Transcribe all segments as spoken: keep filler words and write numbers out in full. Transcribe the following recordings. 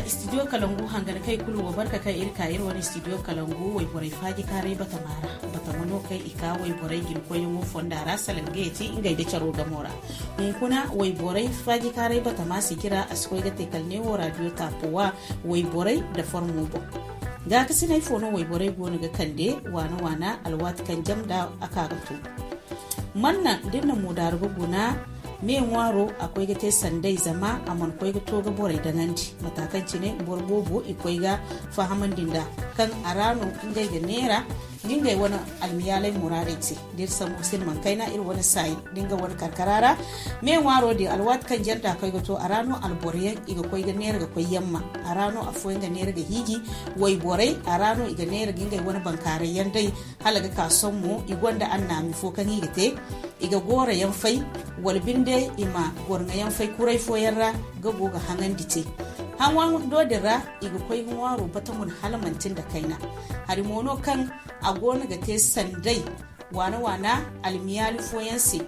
Studio kalangu hangan kay kulu wa barka kaŋ iri ka iri wane studio kalangu wayborey faajikaaray batama ra. Batama no kaŋ i ka wayborey gina koyyaŋo fonda ra salaŋ ga yeti ngey da caro gamo ra. Hunkuna wayborey faajikaaray batama sijira a si koy ga te kala neewo radio taapo wa wayborey da farmo boŋ. Gaakasinay fo no wayborey goono ga kande waana waana alwaati kaŋ jam da a ka ga to. Manna da iri na moodaari ga guna me ŋwaaro a koy ga te sanday zama a mana koy ga to ga borey daŋandi mata kaŋ cine boro boobo i koy ga fahamandi nd'a kaŋ a ra no ngey ga neera da ngey wane almiyaalay muraadey te. Da iri sambu silmaŋ kayna iri wane saayi da nga wane karkara ra me ŋwaaro din alwaati kaŋ janta koy ga to a ra no alboroyaŋ i ga koy ga neera ga koy yamma. A ra no afooyaŋ ga neera ga hiiji wayborey a ra no i ga neera ga ngey wane bankaarayyaŋ day. Hala ga ka sohõ mo i gonda annaami fo kaŋ i ga te i ga gooro yaŋ fay wala binde i ma gorŋa yaŋ fay kuray fooyaŋ ra ga go ga haŋandi te. Haŋwando din ra i ga koy ga ŋwaaro bata mun hala manti nda kayna. Hari mo no kaŋ a goono ga te sanday waana waana almiyaali fooyaŋ se.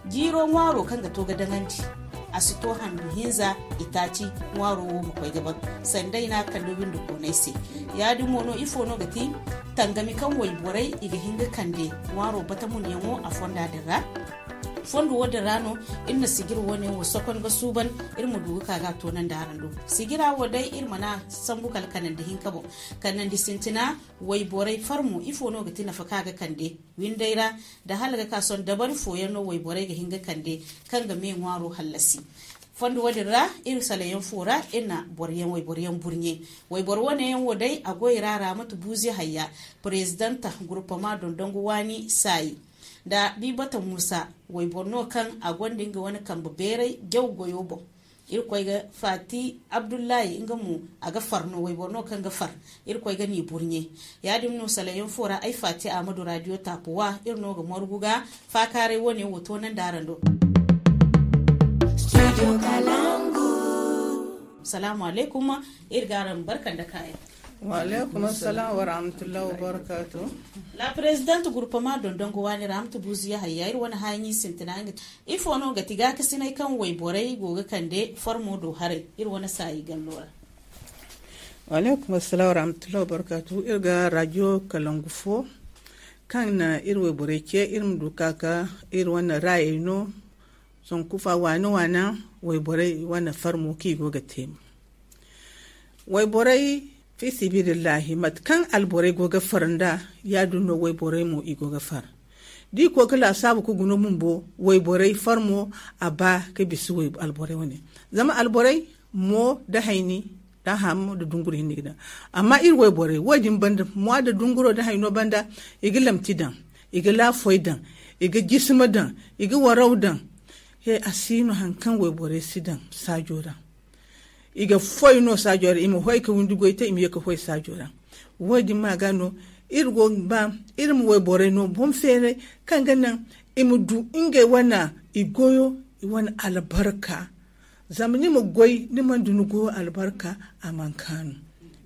Jiiro ŋwaaro kaŋ ga to ga daŋandi a si to handu hinza itaaci ŋwaaro wo ma koy ga ban sanday no a kande windikooney se. Ya-din mo no ifo no ga ti tangami kaŋ wayborey i ga hin ga kande ŋwaaro batamunyaŋo a fonda din ra. Fondo wo din ra no iri na sijir wo-ne wo sokon ga suuban iri ma du ga ka ga a toonandi araŋ do. Sijira wo day iri mana sambu kala kanandi hinka boŋ. Kanandi sintina wayborey farmo ifo no ga ti nafa kaŋ a ga kande windey ra? Da hala ga ka sohõ dabari fooyaŋ no wayborey ga hin ga kande kaŋ ga me ŋwaaro hallasi. Fondo wo-din ra iri salayaŋ fo ra iri na boroyaŋ wayboroyaŋ burɲe. Wayboro wo-ne yaŋ wo day a goy ra raamatu buuzi hayya prezidanta gurpama dondongu waani saayi nda bibata muusa wayboro no kaŋ a gonda nga wane kambe beeray jaw goyo boŋ. Iri koy ga faati abdullahi nga mo a ga far no wayboro no kaŋ ga far. Iri koy ga ni burɲe. Ya-din no salayaŋ fo ra ay faati ahmadu radio taapu wa iri no ga margu ga faakaaray wo-ne wo toonandi araŋ do. Salaamu alaykum. Iri ga araŋ barka nda kaayaŋ. Wa alaykum assalam wa rahmatullahi wa barakatuh. La prezident gurpama dondongo waani ra amtu buuzu yahaya iri wane haaɲi sintina nga. Ifo no ga ti gaakasinay kaŋ wayborey go ga kande farmo do haray iri wane saayi gallo ra? Wa alaykum assalam wa rahmatullahi wa barakatuh. Iri ga radio kalangu fo kaŋ na iri wayborey ce iri ma du ka ka iri wane raayey no. Zanku fa waana waana wayborey wane farmo kaŋ i go ga te mo. Wayborey fi sibilillahi mate kaŋ alborey go ga far nda ya-din no wayborey mo i go ga far. Da i koy ga laasaabu ga guna bumbo wayborey farmo a ba ga bisa alborey wane. Zama alborey mo da hayni da ham da dunguro hinne ga daŋ. Amma iri wayborey wo-din banda mo da dunguro da hayno banda i ga lamti daŋ, i ga laafoy daŋ, i ga jisima daŋ, i ga waraw daŋ. He a si no hari kaŋ wayborey si daŋ saajo ra. I ga foy no saajo ra i ma hoy ga windi goy te i ma ye ga hoy saajo ra. Wo-din ma ga no iri go ga ba iri ma wayborey no boŋ feeray kaŋ ga naŋ i ma du ngey wane i goyo i wane albarka. Zama ni ma goy ni mana du ni goyo albarka a mana kaanu.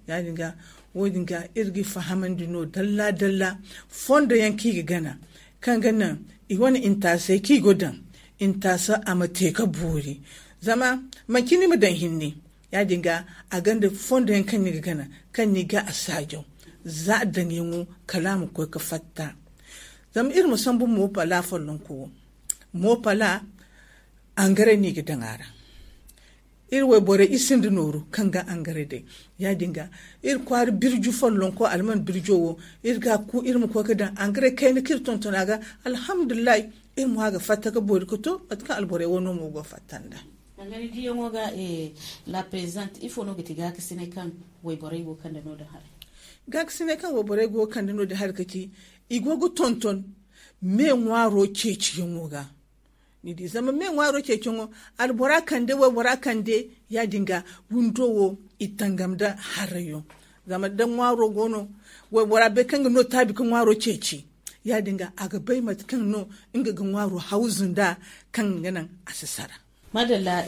Ya-din ga wo-din ga iri ga i fahamandi no dalla dalla fondo yaŋ kaŋ i ga gana kaŋ ga naŋ i wane intaasey kaŋ i go daŋ intaasa a ma te ga boori. Zama manci ni ma daŋ hinne ya-din ga a gonda fondo yaŋ kaŋ ni ga gana kaŋ ni ga a saajaw za a daŋyaŋo kala a ma koy ga fatta. Zama iri ma sambu moopala follonko wo moopala angaray no i ga daŋ a ra. Iri wayborey i sinda nooru kaŋ ga angaray day. Ya-din ga iri kwaara birju follonko alman birjo wo iri ga ku iri ma koy ga daŋ angaray kayna kaŋ iri tonton a ga. Alhamdulillahi iri mo a ga fatta ga boori ga to mate kaŋ alborey wano mo go fatta nda. Angari diyaŋo ga la prezident ifo no ga ti gaakasinay kaŋ wayborey go kande no da haray? Gaakasinay kaŋ wayborey go kande no da haray ga ti i go ga tonton me ŋwaaro ceeciyaŋo ga. Ni di zama me ŋwaaro ceeciyaŋo albora kande waybora kande ya-din ga windo wo i tangam da harayo. Zama da ŋwaaro go no waybora bay kaŋ ga no taabi ga ŋwaaro ceeci ya-din ga a ga bay mate kaŋ no nga ga ŋwaaro hawzu nda kaŋ ga naŋ a si sara. Madalla.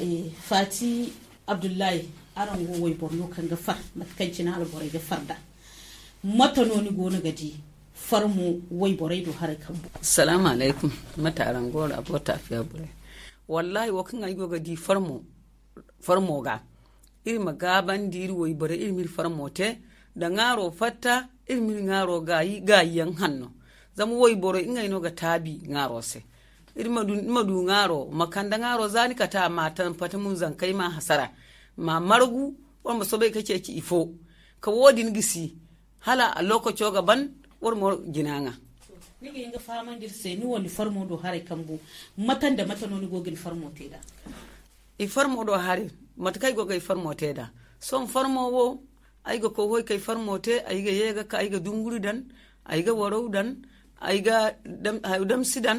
Faati abdullahi, araŋ go wayboro no kaŋ ga far mate kaŋ cine alborey ga far nd'a. Mate no ni go no ga di farmo wayborey do haray kambu? Salaamu alaykum. Mate araŋ go ra bo taafiya borey? Wallahi wo kaŋ ay go ga di farmo ga Iri ma gaabandi iri wayborey, iri ma iri farmo te nda ŋaaro fatta. Iri ma iri ŋaaro gaayi gaayiyaŋ hanno. Zama wayborey ngey no ga taabi ŋaaro se. Iri ma du ŋaaro, ma kande ŋaaro za ni kate a ma tampata mun zankey ma hasara, ma margu. Wala ma soobay ka ceeci ifo ka wo- din gisi hala a lookaco ga ban. Wala mo jina ŋa. Ni ga hin ga fahamandi iri se ni wo ni farmo do haray kambu, mate nda mate no ni go ga ni farmo te nd'a? I farmo do haray, mate kaŋ ay go ga ay farmo te nd'a. Sohõ farmo wo, ay ga koy hoy k'ay farmo te. Ay ga ye ga ka, ay ga dunguri daŋ, ay ga waraw daŋ, ay ga damsi daŋ,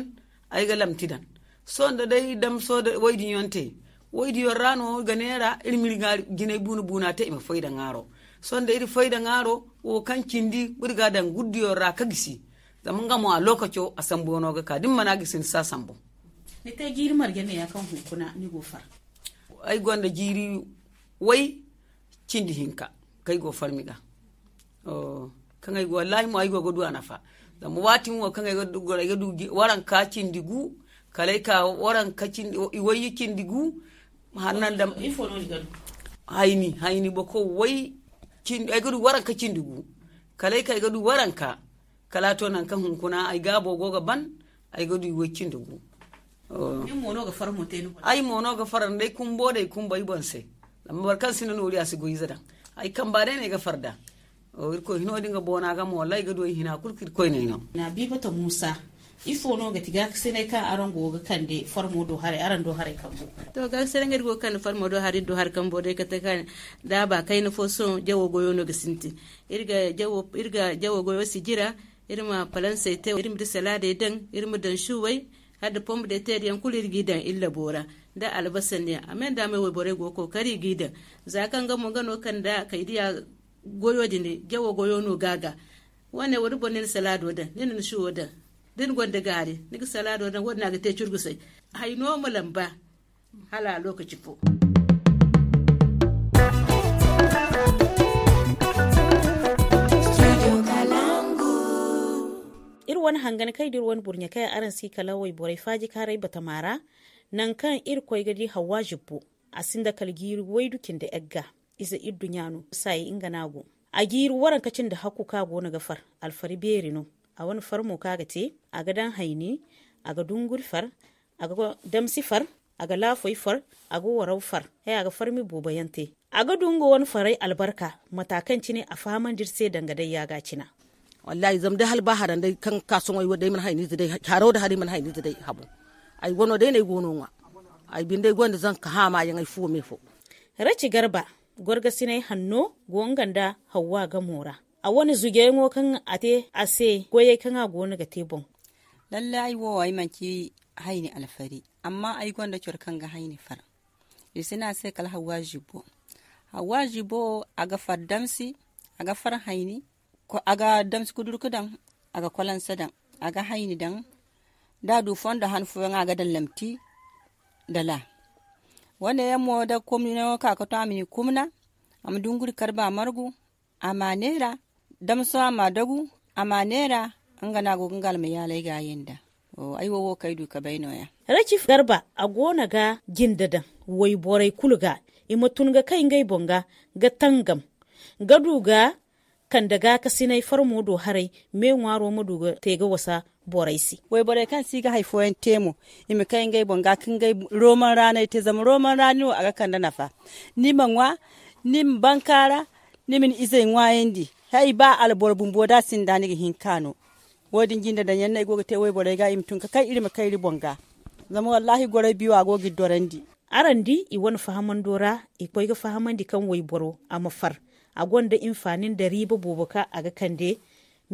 ay ga lamti daŋ. Sohõ da day damso da waydiyaŋ te, waydiyaŋ ra no i ga neera iri ma iri jinay buuna buuna te i ma fay da ŋaaro. Sohõ da iri fay da ŋaaro, wo kaŋ cindi iri ga a daŋ guddiyaŋ ra ka gisi. Zama nga mo a lookaco a sambuyaŋo ga ka da ni mana gisi ni si a sambu. Ni te jiiri marje neeya kaŋ hunkuna ni go far? Ay gonda jiiri way cindi hinka kaŋ ay go farmi ga. Kaŋ ay go wallaahi mo ay go ga du a nafa. Zama waati mo kaŋ ay ga du waranka cindi gu, kala ay ka waranka cindi iway cindi gu. Hannan dam ifo no ni ga du? Hayni hayni boko way cindi ay ga du waranka cindi gu. Kala ay ka ay ga du waranka. Kala a to nankaŋ hunkuna ay gaabo go ga ban, ay ga du iway cindi gu. Ay mo no ga fara nda ay kumbo da ay kumbo ay boŋ se. Zama boro kaŋ sinda noori a si goy ize daŋ. Ay kamba day no ay ga fara nd'a. Irkoy hino din ga boona ga mo wallaahi ay ga du ay hina kulu kaŋ irkoy no ay no. Bibata muusa, ifo no ga ti gaakasinay kaŋ araŋ go ga kande farmo do haray araŋ do haray kambo? To gaakasinay kaŋ iri go ga kande farmo do haray iri do haray kambo day kate kaŋ da a ba kayna fo sohõ jawo goyo no ga sintin. Iri ga jawo goyo si jira. Iri ma palansey te iri ma di salaadey daŋ, iri ma daŋ suwey, hala da pombu de teeri yaŋ kulu iri g'i daŋ iri labo ra. Nda albasa ne a me nda me wayborey go ga kookari i g'i daŋ. Za kaŋ nga mo nga no kaŋ nda kay diya goyo din jawo goyo no ga a ga. Wo- ne wo- din boŋ ni na salaado daŋ, ni na ni suwo daŋ. Da ni gonda gaari ni ga salaado daŋ wo- din a ga te curgusay. Hay no ma lamba hala a lookaci fo. Iri wane hangan kay da iri wane burɲe kay araŋ si kala wayborey faajikaaray batama ra. Nangu kaŋ iri koy ga di hawwa zibbo, a sinda kala jiiri waydu cindi egga. Ize iri duɲɲa no saayey nga no a go. A jiiri waranka cindi hakku kaŋ a go no ga far. Alfari beeri no. A wane far mo kaŋ a ga te, a ga daŋ hayni, a ga dunguri far, a ga damsi far, a ga laafoy far, a ga waraw far. Haya ga farmi boobo yaŋ te. A ga du nga wane faray albarka mata kaŋ cine a fahamandi iri se danga day yaaga cina. Wallaahi zama day hala ba haran day kaŋ ga ka soŋay wo day mana hayni ize day haro da haray mana hayni ize day habu. Ay wano day no ay go no ŋwa. Ay binde ay gonda zanka haama yaŋ ay fuwo me fo. Raci garba, gorgasinay hanno go nga nda hawwa gamo ra. A wane zugeyaŋo kaŋ a te a se goyey kaŋ a go no ga te boŋ. Lallay ay wo ay manci hayni alfari, amma ay gonda coro kaŋ ga hayni far. I si ne a se kala hawwa zibbo. Hawwa zibbo a ga far damsi, a ga far hayni, a ga damsi kudurku daŋ, a ga kwalansa daŋ, a ga hayni daŋ. Da a du fondo han fooyaŋ a ga daŋ lamti dala. Wane yaŋ mo da komnino ka ga to a ma ni kumna, a ma dunguri karba margu, a ma neera. Damso a ma dagu, a ma neera. Nga no a go ga nga almayaalay ga a yanda. Ay wo wo kaŋ ay du ka bay nooya. Racif garba a go no ga jinde daŋ wayborey kulu ga, i ma tun ga kay ngey boŋ ga, ga tangam, ga du ga kande gaakasinay farmo do haray. Me ŋwaaro ma du ga te ga wasa borey se. Wayborey kaŋ si ga hari fooyaŋ te mo, i ma kay ngey boŋ ga ka ngey roman raanay te zama roman raani wo a ga kande nafa. Ni ma ŋwa, ni ma bankaara, ni ma ni izey ŋwaayandi. Hay ba alboro bumbo da a sinda ni ga hin ka no. Wo- din jinde daŋ yaŋ no ay go ga te wayborey ga i ma tun ga kay iri ma kay iri boŋ ga. Zama wallaahi goray biyo a go ga iri dorandi. Araŋ di i wane fahamando ra, i koy ga fahamandi kaŋ wayboro a ma far. A gonda infaani nda riiba boobo kaŋ a ga kande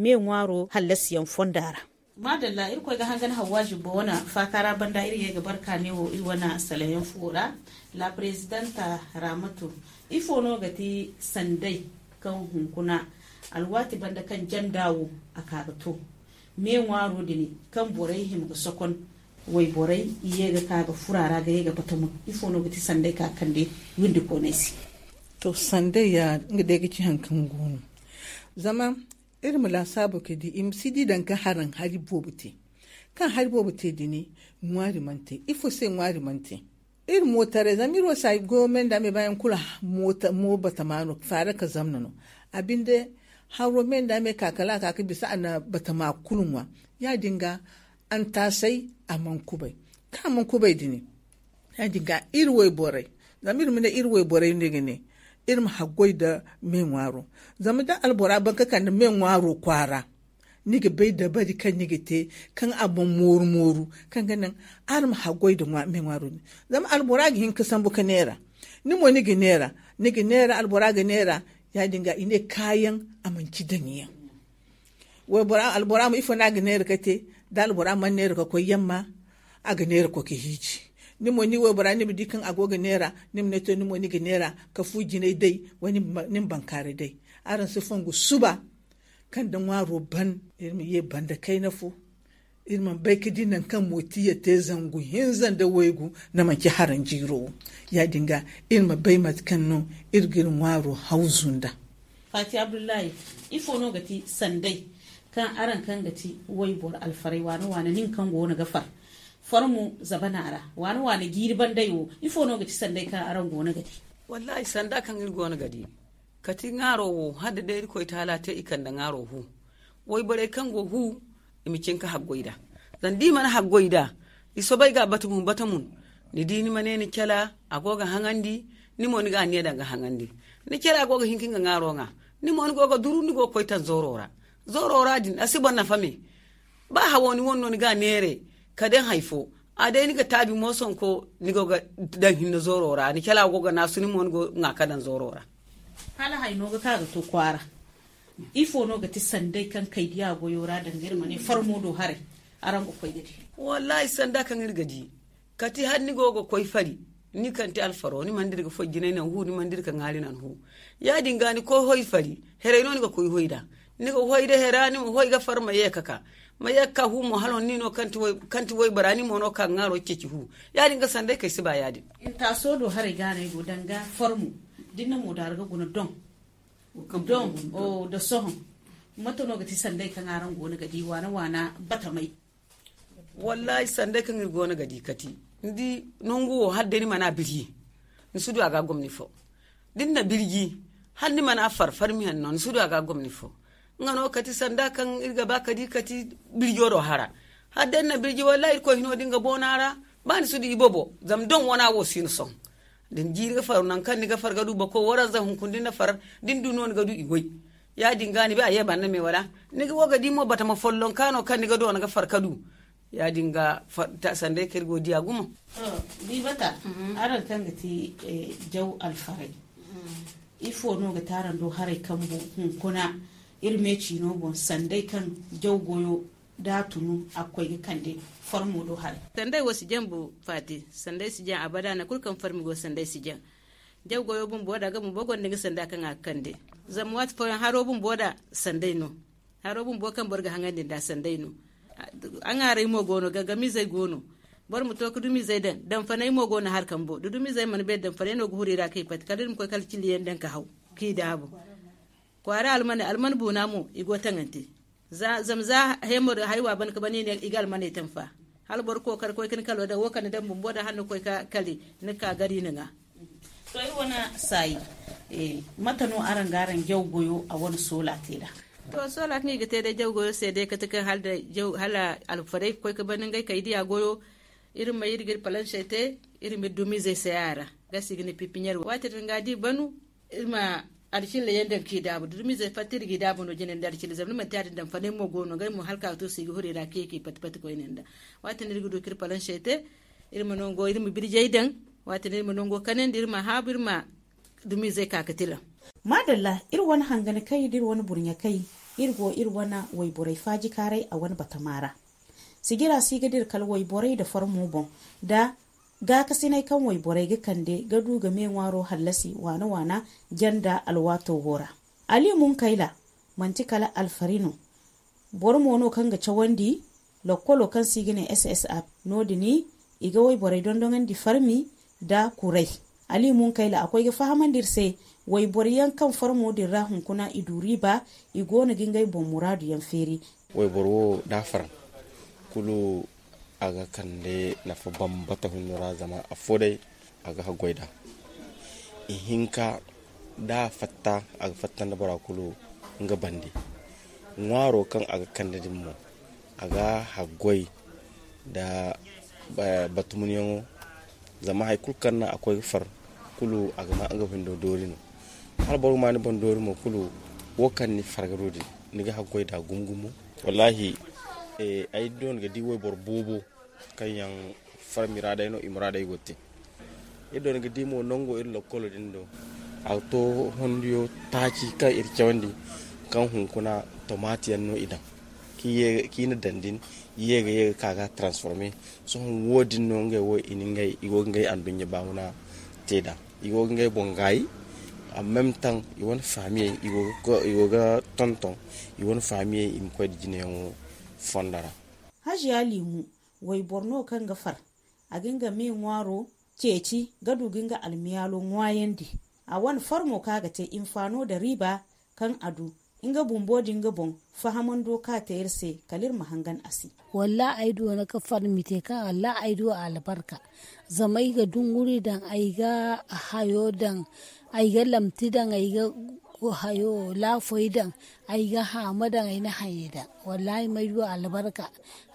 me ŋwaaro hallasiyaŋ fonda ra. Maadalla, iri koy ga hangan hawwa zibbo wane faaka ra banda iri ye ga barka ne wo iri wane salayaŋ fuwo ra. La prezidanta ramatu, ifo no ga ti sanday kaŋ hunkuna alwaati banda kaŋ janda wo a ka ga to me ŋwaaro din kaŋ borey hima ga sokon wayborey i ye ga ka ga fura ra ga ye ga bata mo? Ifo no ga ti sanday ka kande windi koonay se? To sanday ya nga day ga ci hari kaŋ go no. Zama iri ma laasaabu ka di i ma si di daŋ ga haraŋ hari boobo te. Kaŋ hari boobo te din ŋwaari mana te. Ifo se ŋwaari mana te? Iri mootaray zama iri wo si ay goyo me nda me baayaŋ kulu. Mo batama no faara ka zamna no. A binde haro me nda me ka kala a ka ga bisa a na batama kulu ŋwa. Ya- din ga antaasay a mana kubay. Kaŋ a mana kubay din, ya- din ga iri wayborey, zama iri ma ne iri wayborey no i ga ne iri ma haggoy nda me ŋwaaro. Zama da albora ban ka kande me ŋwaaro kwaara, ni ga bay dabari kaŋ ni ga te kaŋ a mana mooru mooru, kaŋ ga naŋ araŋ ma haggoy nda me ŋwaaro din. Zama albora ga hin ka sambu ka neera, ni mo ni ga neera, ni ga neera, albora ga neera. Ya- din ga i ne kaayaŋ a manci daŋyaŋ. Albora mo ifo no a ga neera ka te? Da albora mana neera ka koy yamma, a ga neera koy ka hiiji. Ni mo ni waybora ni ma di kaŋ a go ga neera, ni ma ne to ni mo ni ga neera ka fu jinay day, wala ni ma bankaaray day. Araŋ si fongu suba kaŋ da ŋwaaro ban, iri ma ye banda kayna fo. Iri mana bay ka di nangu kaŋ mootiya te zangu hinza nda waygu, na manci haranjiiro wo. Ya- din ga iri ma bay mate kaŋ no iri ga iri ŋwaaro hawzu nda. Faati abdullahi, ifo no ga ti sanday kaŋ araŋ kaŋ ga ti wayboro alfaray waana waana nin kaŋ go no ga far farmu zabana ra, waana waana jiiri banday wo, ifo no ga ti sanday kaŋ araŋ go no ga di? Wallahi sanda kaŋ iri go no ga di, kati ŋaaro wo hala da day irkoy taala te i kande ŋaaro hu. Wayborey kaŋ go hu, i ma cin ka haggoy nd'a. Zama da i mana haggoy nd'a, i soobay ga a bata mun bata mun. Ni di ni ma ne ni cala a go ga haŋandi, ni mo ni ga a ne daŋ ga haŋandi. Ni cala go ga hin ka nga ŋaaro ŋwa, ni mo ni go ga duru ni go ga koy taŋ zooro ra. Zooro ra din a si boro nafa me. Ba hawo ni wane no ni ga a neere ka daŋ hari fo, a day ni ga taabi mo sonko ni go ga daŋ hinne zooro ra, ni cala go ga naasu ni mo ni go ga ŋwa ka daŋ zooro ra. Hala hari no ga ka ga to kwaara. Ifo no ga ti sanday kaŋ kay diya goyo ra danga iri ma ne farmo do haray? Araŋ ga koy ga di. Wallahi sanda kaŋ iri ga di, kati hala ni go ga koy fari, ni kaŋ ti alfaro ni mana dira ga foy jinay naŋ hu, ni mana dira ga ŋwaari naŋ hu. Ya- din ga ni koy hoy fari, heray no ni ga koy hoy nd'a. Ni ga hoy nda hera, ni ma hoy ga far ma ye ka ka, ma ye ka ka hu mo hala ni no kaŋ ti waybora ni mo no ka ga ŋwaaro ceeci hu. Ya- din ga sanday kay si ba ya- din. Intaaso do haray gaanay go danga farmo, da ni na mo daara ga guna doŋ. Doŋ, nda sohõ, mate no ga ti sanday kaŋ araŋ go no ga di waana waana batamay? Wallahi sanday kaŋ iri go no ga di kati, ni di nangu wo hala day ni mana birji, ni si du a ga gomni fo. Da ni na birji, hala ni mana far farmiyaŋ no ni si du a ga gomni fo. Nga no kati sanda kaŋ iri ga ba ka di kati birjo do hara. Hala day ni na birji wallahi irkoy hino din ga boona ra. Ba ni si du ibobo zama doŋ wana wo si ni sohõ. Da ni jiiri ga far nangu kaŋ ni ga far ga du bako waranza hunkuna da ni na far, da ni du no ni ga du i goy. Ya- din ga ni ba a ye banda me wala? Ni ga wo ga di mo batama follonka no kaŋ ni ga doona ga far ka du. Ya- din ga sanday kaŋ iri go diya gumo. Di bata, araŋ kaŋ ga ti jaw alfaray, ifo no ga ti araŋ do haray kambu hunkuna iri me ciino boŋ sanday kaŋ jaw goyo da a tunu a ga koy ga kande farmo do haray? Sanday wo si jaŋ bu faati, sanday si jaŋ abada nangu kulu kaŋ farmi go sanday si jaŋ. Jaw goyo bumbo da ga bumbo gonda nga sanda kaŋ a ga kande. Zama waati fooyaŋ haro bumbo da sanday no. Haro bumbo kaŋ boro ga haŋandi nda sanday no. A ŋaaray mo go no, gangamizey go no. Boro ma to ga dumizey daŋ, damfanay mo go no hari kambo da dumizey mana beeri damfanay no ga huru i ra kaŋ i pati kala iri ma koy kala ciliyaŋ daŋ ka haw, kaŋ i daabu. Kwaara almaney alman buuna mo i go taŋante. Zama za hemo da haywa ban ka ban i ne i ga almaney taŋ fa. Hala boro kookari koy ka ni kalo daŋ wo kaŋ ni daŋ bumbo daŋ hala ni koy ka kali, ni ga ka gari ni ŋwa. To iri wane saayi, mate no araŋ ga araŋ jaw goyo a wane soola te nd'a? To soola kaŋ i ga te day jaw goyo se day kate kaŋ hala alfarey ga koy ka ban ngey kay diya goyo. Iri ma iri ga iri palansey te, iri ma iri dumizey say a ra. Gasi ga ne pipiɲer waati din ga da i banu, iri ma alcilla yaŋ daŋ kaŋ i daabu da dumizey fatta iri ga i daabu no jine nda alcilla zama ni manti ya- din daŋ fanay mo go no ngey mo hala ka ga to se i ga huru i ra ka ye ka i pati pati koyne nda. Waati din iri ga du ka iri palansey te, iri ma nango iri ma birjey daŋ. Waati din iri ma nango kanandi iri ma haabu iri ma dumizey ka ga tilaŋ. Maadalla, iri wane hanganakey da iri wane burɲakey, iri go iri wane wayborey faajikaaray a wane batama ra. Sijira si ga dira kala wayborey nda farmo boŋ nda gaakasinay kaŋ wayborey ga kande ga du ga me ŋwaaro hallasi waana-waana janda alwaato wo ra. Ali Munkayla, manti kala alfari no. Boro mo no kaŋ ga cawandi lokkolo kaŋ se i ga ne S S A. Noodin i ga wayborey dondonandi farmi nda kuray. Ali Munkayla a koy ga fahamandi iri se wayboro yaŋ kaŋ farmo din ra hunkuna i du riiba, i goono ga ngey boŋ muraadu yaŋ feeri. Wayboro wo da a far kulu a ga kande nafa bambata hunno ra zama afo day A ga haggoy nd'a. Ihinka da a fatta, a ga fatta nda bora kulu nga bande. Ŋwaaro kaŋ a ga kande din mo, a ga haggoy nda batumunyaŋo. Zama hari kulu kaŋ naŋ a koy ga far kulu, a ga ma nga windo doori no. Hala boro ga ma ni boŋ doori mo kulu, wo kaŋ ni farga do din, ni ga haggoy nd'a gumo gumo. Wallaahi, ay doona ga di wayboro boobo kaŋ yaŋ far miraaday no i muraaday go ga te. Iri doona ga di mo nango iri lokkolo din do, a ga to hondiyo taaci kaŋ iri cawandi, kaŋ hunkuna tomaati yaŋ no i daŋ, kaŋ i na daŋ din, i ye ga ye ga ka ga transforme. Sohõ wo- din no ngey wo i na ngey i go ga ngey anduɲɲa baamuna te nd'a. I go ga ngey boŋ gaayi. Amma meme taŋ i wane faamiyey i go ga tonton i wane faamiyey i ma koy nda jineyaŋo fondo ra. Hajiya liimu, wayboro no kaŋ ga far, a ga nga me ŋwaaro ceeci ga du ga nga almiyaalo ŋwaayandi. A wane far mo kaŋ a ga te hinfaano nda riiba kaŋ a du nga bumbo din ga boŋ fahamando kaŋ a te iri se kala iri ma hangan a se. Wallaahi ay doona ga far mite kaŋ wallaahi ay du albarka. Zama ay ga dunguri daŋ, ay ga hayo daŋ, ay ga lamti daŋ, ay ga hayo laafoy daŋ, ay ga haama daŋ, ay na hayey daŋ. Wallaahi ma ay du albarka.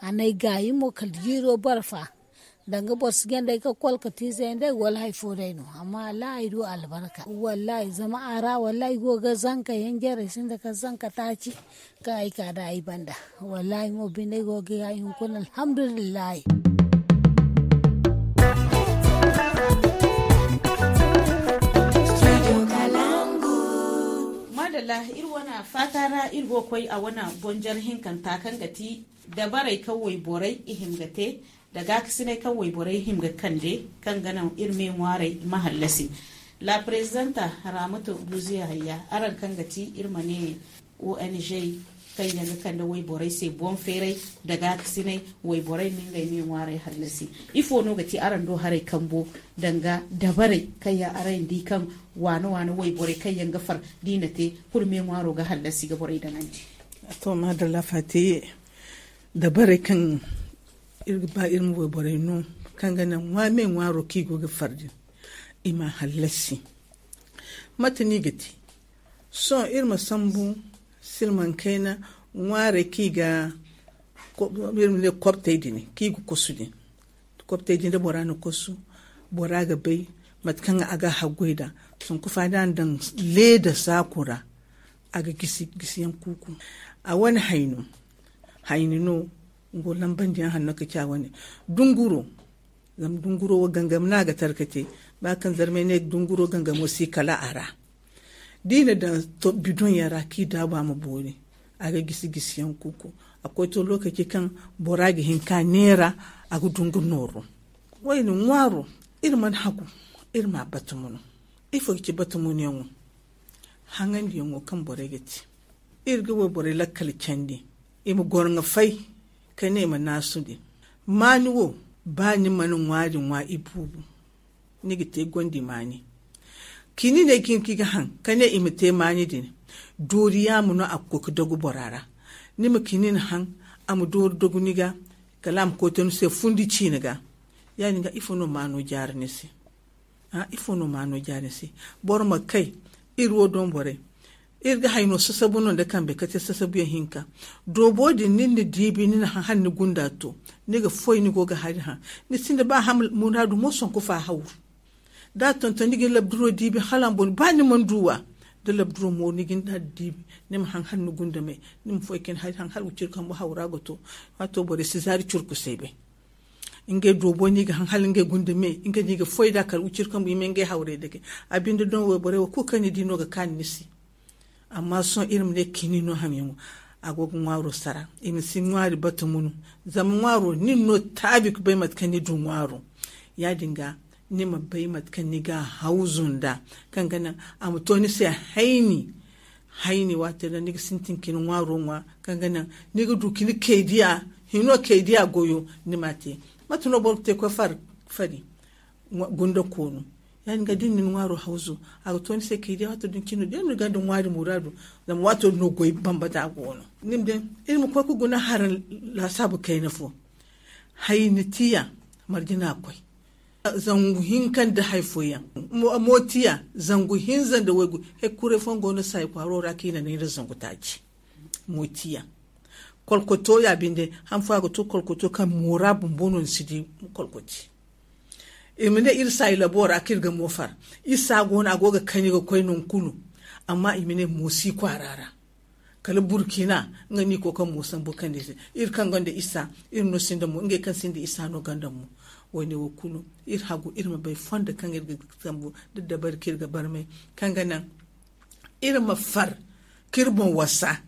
A na ay gaayi mo kala jiiro barfa. Danga boro si ganda ay ga kolka tiize yaŋ day wala hari fo day no. Amma wallaahi ay du albarka wallaahi zama a ra wallaahi ay go ga zanka yaŋ jare sinda kala zanka taaci. Kaŋ ay ka da ay banda wallaahi mo binde ay go ga ay hunkuna alhamdulillahi. Madalla, iri wana faata ra iri go ga koy a wana bonjar hinkanta kaŋ ga ti dabarey kaŋ wayborey i hima ga te da gaakasiney kaŋ wayborey hima ga kande, kaŋ ga naŋ iri me ŋwaarey ma hallasi. La prezidanta, ramatu buziya hayya, araŋ kaŋ ga ti iri ma ne ong kaŋ yaŋ ga kande wayborey se boŋ feeray da gaakasiney, wayborey ma ngey me ŋwaarey hallasi. Ifo no ga ti araŋ do haray kambo danga dabarey kaŋ yaŋ araŋ di kaŋ waana waana wayborey kaŋ yaŋ ga far da i na te kulu me ŋwaaro ga hallasi ga borey daŋandi? To madalla fatiye, dabarey kaŋ iri ga ba iri ma wayborey no kaŋ ga naŋ me ŋwaaro kaŋ i go ga far din, i ma hallasi. Mate no i ga te? Sohõ iri ma sambu silmaŋ kayna ŋwaarey kaŋ i ga iri ma ne kobtey din kaŋ i ga kosu din. Kobtey din da bora na kosu, bora ga bay mate kaŋ a ga haggoy nd'a. Sanku fa da a na daŋ leeda saaku ra, a ga gisi gisiyaŋ kuuku. A wane hayno hayni no. Nga wo lambandiyaŋ hanno ka ci a wane dunguro. Zama dunguro wo gangam no a ga tara ka te. Ba kaŋ zarmay ne dunguro gangamo si kala a ra. Da i na daŋ bidoŋ yaŋ ra kaŋ i daabu a ma boori, a ga gisi gisiyaŋ kuuku. A koy to lokaci kaŋ bora ga hin ka neera, a ga du nga nooro. Wayne ŋwaaro, iri mana hagu iri ma a batumo no. Ifo ga ci batumoyaŋo? Haŋandiyaŋo kaŋ borey ga te. Iri ga wayborey lakkal candi, i ma goro ŋa fay ka ne i ma naasu din. Maani wo, ba ni mana ŋwaari ŋwa ibuubu, ni ga te gondi maani. Kini ne ga hin ka i ga haŋ ka ne i ma te maani din. Doori yaama no a ga koy ka dogu bora ra. Ni ma kini ni haŋ, a ma doori dogu ni ga, kala a ma koy to ni se fundi ciina ga. Ya- din ga ifo no maano jaara ni se? Ifo no maano jaari se? Boro ma kay, iri wo doŋ borey, iri ga hayno sasabu no nda kambe ka te sasabuyaŋ hinka. Doobo din ni na diibi ni na haŋ hala ni gunda to, ni ga foy ni go ga hari haŋ. Ni sinda ba haŋ muraadu mo sonko fa hawru. Da a tonton ni ga ni labduro diibi hala a ma boŋ ba ni mana du wa. Da labduro mooru ni ga ni da diibi, ni ma haŋ hala ni gunda me, ni ma foy ka ni hari haŋ hala wiciri kambu hawra ga to. Waato borey si zaari curkusey bay. Ngey doobo no i ga haŋ hala ngey gunda me, ngey no i ga foy nd'a kala wiciri kambu i ma ngey hawrey dake. A binde doŋ wayborey wo kulu kaŋ ni di no ga kaanu ni se. Amma sohõ iri ma ne kini no hamyaŋo, a go ga ŋwaaro sara. I ma si ŋwaari batumo no. Zama ŋwaaro nin no taabi ga bay mate kaŋ ni du ŋwaaro. Ya- din ga, ni ma bay mate kaŋ ni ga hawzu nd'a, kaŋ ga naŋ a ma to ni se hayni. Hayni waato din ra ni ga sintin ka ni ŋwaaro ŋwa, kaŋ ga naŋ ni ga du ka ni kaydiya hino kaydiya goyo, ni m'a te. Mate no boro ga te ga koy fari gunda koono? Ya- din ga da ni na ni ŋwaaro hawzu, a ga to ni se kaydiya waato din cine da ni gonda ŋwaari muraadu. Zama waato din no goy bambata go no. Ni ma di, iri ma koy ga guna haraŋ laasaabu kayna fo. Hayni tiya marjina koy. Zangu hinka nda hari fooyaŋ. Mootiya zangu hinza nda waygu. Hari kuray fooyaŋ go no saayi kwaaro ra kaŋ i na naŋ iri zangu taaci. Mootiya kolkoto ya binde. Han fo a ga to kolkoto kaŋ moora bumbo no ni si di. Kolkoti i ma ne iri saayi labo ra kaŋ iri ga moofar. Isa go no a go ga kani ga koy nangu kulu. Amma i ma ne moosi kwaara ra kala burkina nga ni ko kaŋ moosan bo kaŋ ni se iri kaŋ gonda isa. Iri no sinda mo ngey kaŋ sinda isa no ganda mo. Wayne wo kulu iri hagu iri ma bay fondo kaŋ iri ga sambu da dabari kaŋ iri ga barmay kaŋ ga naŋ iri ma far kaŋ iri boŋ wasa.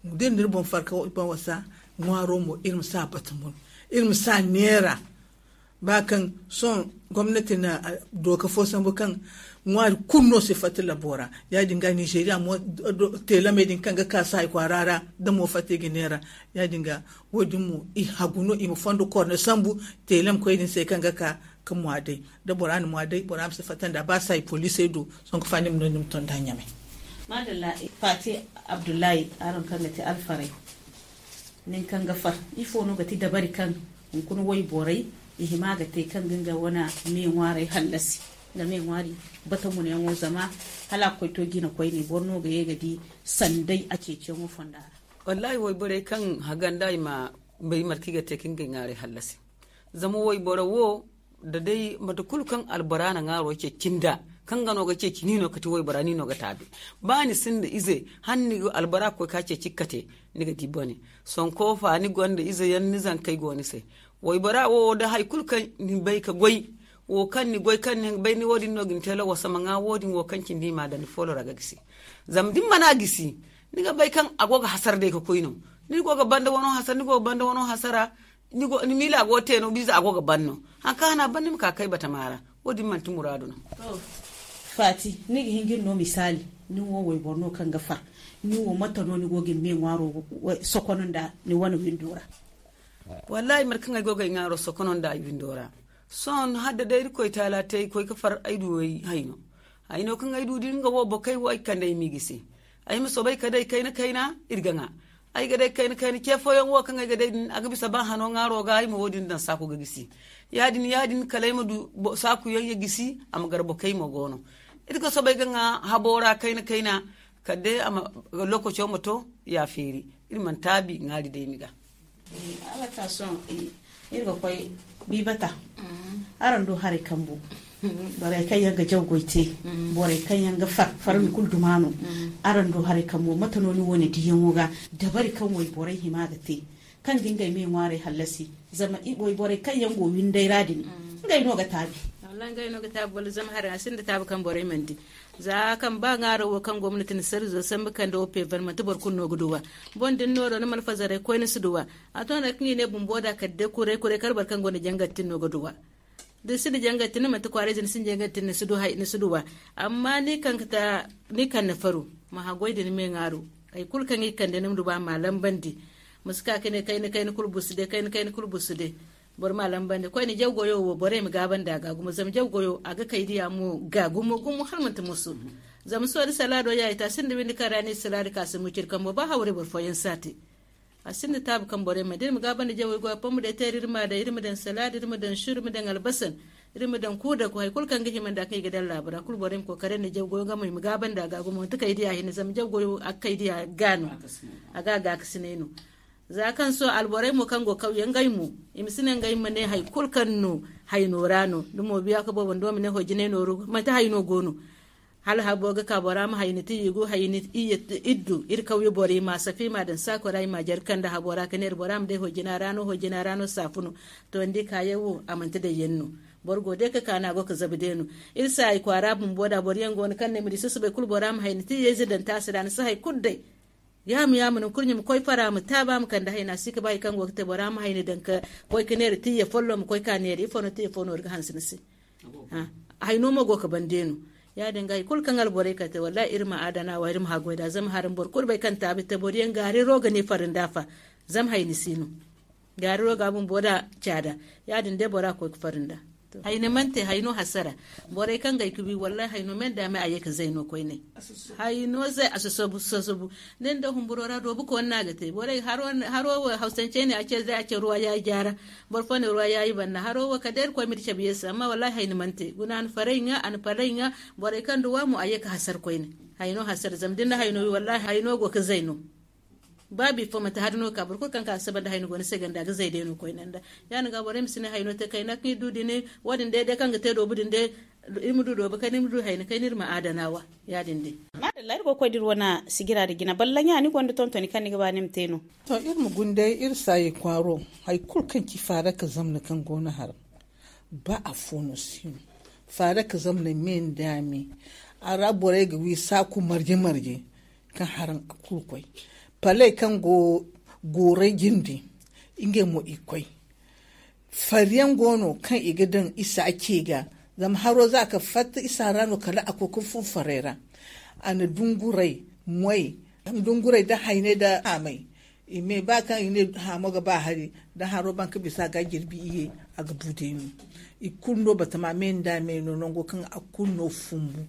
Da iri na iri boŋ far kaŋ iri boŋ wasa ŋwaaro mo iri ma si a bata mun. Iri ma si a neera ba kaŋ sohõ gomnati na dooka fo sambu kaŋ ŋwaari kulu no si fatta labo ra. Ya-din ga nizeeriya mo teelamey din kaŋ ga ka saayi kwaara ra da mo fatta i ga neera. Ya-din ga wo-din mo i hagu no i ma fondo korne sambu teelam koy din se kaŋ ga ka ka mwa day da bora na mwa day bora ma si fatta nda ba saayi poliisey do. Sonko fa ni ma no ni ma to nda ɲamay. Madalla. Fati abdullahi araŋ kaŋ ga te alfaray nin kaŋ ga far ifo no ga ti dabari kaŋ hunkuna wayborey i hima ga te kaŋ ga nga wane me ŋwaaray hallasi nga me ŋwaari bata munayaŋo zama hala a ga koy to jina koyne boro no ga ye ga di sanday a ceeciyaŋo fonda ra. Wallahi wayborey kaŋ haganda i ma bay marki ga te kaŋ ga ŋwaaray hallasi zama wayboro wo da day mate kulu kaŋ albora na ŋaaro ceeci nda kaŋ ga no ga ceeci ni no kati waybora ni no ga taabi. Ba ni sinda ize han ni ga albora ga koy ka ceeci kate ni ga di bone. Sonko fa ni gonda ize yaŋ ni zankey go ni se. Waybora wo da hari kulu kaŋ ni bay ka goy wo kaŋ ni goy kaŋ ni bay ni wo-din no ga ni te lawasa ma ŋwa wo-din wo kaŋ cindi i ma daŋ ni foolo ra ga gisi. Zama da ni mana gisi ni ga bay kaŋ a go ga hasara day ka koy no. Ni go ga banda wano hasara ni go ga banda wano hasara. Ni miila go te no biize a go ga ban no. Haŋ kaŋ hana ban ni ma ka kay batama ra. Wo-din manti muraadu no. Faati, ni ga hin ga ni no misaali. Ni wo wayboro no kaŋ ga far. Ni wo mate no ni go ga ni me ŋwaaro sokono nda ni wane windo ra? Wallahi mate kaŋ ay go ga ay ŋwaaro sokono nda ay windo ra. Sohõ hala da day irkoy taala te ay koy ga far ay du ay hayno. Hayno kaŋ ay du din nga wo bokey wo ay kande ay m'i gisi. Ay ma soobay ka day kayna kayna iri ga ŋwa. Ay ga day kayna kayna ce fooyaŋ wo kaŋ ay ga day din a ga bisa ba hano ŋwaaro ga ay ma wo-din daŋ saaku ga gisi. Ya-din ya-din kala ay ma du saaku yaŋ ya gisi a ma gar bokey mo go no. Iri ga soobay ga ŋwa habo ra kayna kayna kala day a ma lokaco ma to ya feeri. Iri mana taabi ŋwaari day ni ga. Iri ga koy bibata. Araŋ du haray kambu. Borey kaŋ yaŋ ga jaw goy te. Borey kaŋ yaŋ ga far farmi kulu duma no. Araŋ du haray kambu mate no ni wane diyaŋo ga dabari kaŋ wayborey hima ga te kaŋ ga ngey me ŋwaaray hallasi. Zama wayborey kaŋ yaŋ go winday ra din ngey no ga taabi. Wala ngey no ga taabi wala zama haray a sinda taabi kaŋ borey mana di. Za kaŋ ba ŋaaro wo kaŋ gomnati na sarizo sambu kande wo peever manti boro kulu no ga duwa. Boŋ da ni nooro ni malfazaray koy ni si duwa. A to no kaŋ i ne bumbo da kala day kuray kuray kala boro kaŋ gonda jangar tin no ga duwa. Da ni sinda jangar tin ni manti kwaarayze ni sinda jangar tin ni si du hay ni si duwa. Amma ni kaŋ ga ta ni kaŋ na faru ma haggoy da ni me ŋaaro. Hay kulu kaŋ i kande ni ma du ba ma lambandi. Ma si ka ka ne kayna kayna kulu busu day kayna kayna kulu busu day. Boro ma lambandi koyne jaw goyo wo borey ma gaabandi a ga gumo zama jaw goyo a ga kay diya mo ga gumo gumo hala manti musu. Zama sohõ da salaado ya i te a sinda windi kaŋ ra ni salaadi ka si muciri kambo ba hawray boro fooyaŋ si a te. A sinda taabi kaŋ borey ma da iri ma gaabandi jawey goyo pommu day teeri iri ma a daŋ iri ma daŋ salaadi iri ma daŋ suru iri ma daŋ albasan. Iri ma daŋ kuudaku hari kulu kaŋ ga hima nda kaŋ i ga daŋ laabu ra kulu borey ma kookari nda jaw goyo nga mo i ma gaabandi a ga gumo manti kay diya hinne zama jaw goyo a ga kay diya ga no. A ga gaakasinay no. Za kaŋ sohõ alborey mo kaŋ go kawye ngey mo i ma si ne ngey ma ne hari kulu kaŋ no hayno ra no da mo biya ka boobo nda wo ma ne hojinay nooru manti hayno go no. Hala habo ga ka bora ma hayni ti yigu hayni iyye iddu iri kawye boro i ma safi i ma daŋ saako ra i ma jare kande habo ra ka ne iri bora ma day hojina ra no hojina ra no saafu no. To ni di kaayaŋ wo a manti day yaŋ no. Boro go day ka ka no a go ga zabu day no. Iri saayi kwaara bumbo da boro yaŋ go no kaŋ no ay ma di susubay kulu bora ma hayni ti iyye ize daŋ taasi ra ni si hari kulu day. Yaamu yaamu no kurɲe ma koy fara ma taaba ma kande hayna si ga ba hari kaŋ go ga te bora ma hayni daŋ ka koy ga neera tiyya folloŋ ma koy ka neera ifo no tiyya fo no iri ga hanse ni se. Hayno mo go ga bande no. Ya- din ga hari kulu kaŋ alborey kate wallahi iri ma adana wa iri ma haggoy nd'a zama hari boro kulu bay kaŋ taabi te boro yaŋ gaariro ga ne fari nd'a fa. Zama hayni si no. Gaariro ga bumbo nd'a caada. Ya- din day bora ga koy ga fari nd'a. Hayni mante hayno hasara. Borey kaŋ gay ka wi wallahi hayno men da me a ye ka zay no koyne. Hayno zay a sosobu sosobu. Nin da humburo ra doobu ko na ga te borey haro wo hausance ne a ce zay a ce ruwa ya jara. Boro fo ne ruwa ya yi banna haro wo ka dai koy miri cabe yesu amma wallahi hayni mante guna an farai ŋa an farai ŋa. Borey kaŋ duwa mo a ye ka hasar koyne. Hayno hasar zama din da hayno wi wallahi hayno go ka zay no. Ba bifo manti hari no ka boro kulu kaŋ ka saba nda hayno go ni se ganda ga zay day no koyne nda. Ya ni ga borey ma si ne hayno te kayna kaŋ i du din wo- din day day kaŋ ga te doobu din day. Iri ma du doobu kayna iri ma du hayna kayna iri ma adana wa. Ya- din day. Madalla iri go ga koy da iri wane sigira da jina balla ɲa ni gonda tontoni kaŋ ni ga ba ni ma te no. To iri ma gunday iri saayi kwaaro. Hari kulu kaŋ ci faara ka zamna kaŋ go no har ba afo no si no. Faara ka zamna me nda me. A ra borey ga wi saaku marje marje kaŋ haraŋ a kulu koy. Paley kaŋ go goorey jindi ngey mo i koy. Fariyaŋ go no kaŋ i ga daŋ isa ce ga. Zama haro za ka fatta isa ra no kala a koy ka fun farey ra. A na dungurey moy dungurey da hayney da haamey. I me ba kaŋ i ne haamo ga ba hari da haro ban ka bisa ga jirbi iye. A ga bu day no i kulu no batama me nda me no nango kaŋ a kulu no fumbu.